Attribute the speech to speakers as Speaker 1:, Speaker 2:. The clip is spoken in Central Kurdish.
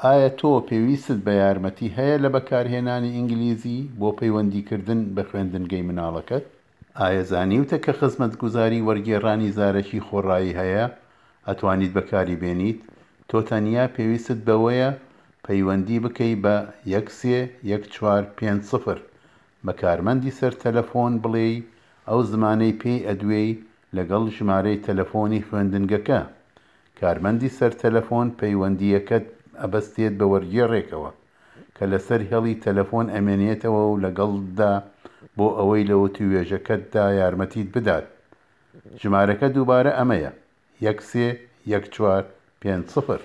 Speaker 1: ئایا تۆ پێویستت بە یارمەتی هەیە لە بەکارهێنانی ئینگلیزی بۆ پەیوەندیکردن بە خوێندنگەی مناڵەکەت؟ ئایا زانیوتە کە خزمەتگوزاری وەرگێڕانی زارەکی خۆڕایی هەیە ئەتوانیت بەکاری بێنیت؟ تۆ تەنیا پێویستت بەوەیە پەیوەندی بکەی بە یەک سێ یەک چوار پێنج سفر بە کارمەندی سەر تەلەفۆن بڵێی ئەو زمانەی پێی ئەدوێی لەگەڵ ژمارەی تەلەفۆنی خوێندنگەکە. کارمەندی سەر تەلەفۆن پەیوەندییەکەت ئەبەستێت بە وەرگێڕێکەوە کە لەسەر هێڵی تەلەفۆن ئەمێنێتەوە و لەگەڵتدا بۆ ئەوەی لە وتووێژەکەتدا یارمەتیت بدات. ژمارەکە دووبارە ئەمەیە، یەک سێ یەک چوار پێنج سفر.